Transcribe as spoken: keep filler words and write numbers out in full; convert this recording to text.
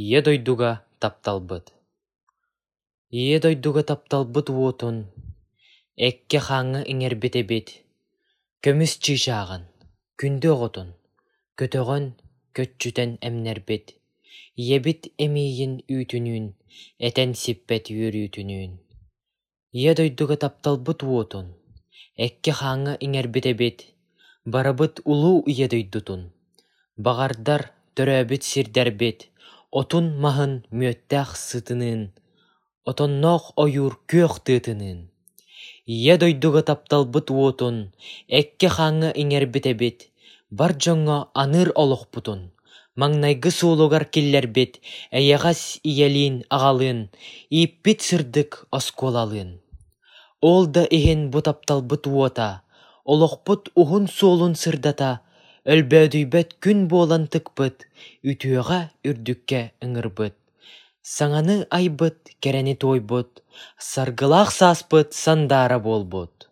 Ийэ дойдуга тапталбыт Ийэ дойдуга тапталбыт уотун Эккэ-хааҥҥа иҥэрбит эбит, Көмүс чыычааҕын, күндү оҕотун Көтөҕөн, көччүтэн эмнэрбит, Ийэбит эмиийин үүтүнүүн, Этэн сиппэт үөрүүтүнүүн. Ийэ дойдуга тапталбыт уотун Эккэ-хааҥҥа иҥэрбит эбит, Барыбыт улуу Ийэ дойдутун, Баҕардар төрөөбүт сирдэрбит Отун-маһын мүөттээх сытыныын, Отонноох ойуур күөх тыатыныын. Ийэ дойдуга тапталбыт уотун Эккэ-хааҥҥа иҥэрбит эбит, Бар дьоҥҥо аныыр олохпутун, Маҥнайгы суолугар киллэрбит Эйэҕэс ийэлиин-аҕалыын, Ииппит сырдык оскуолалыын. Ол да иһин бу тапталбыт уота, Олохпут уһун суолун сырдата, Өлбөөдүйбэт күн буолан тыкпыт, Үтүөҕэ, үрдүккэ ыҥырбыт, Саҥаны айбыт, кэрэни туойбут, Саргылаах сааспыт сандаара буолбут.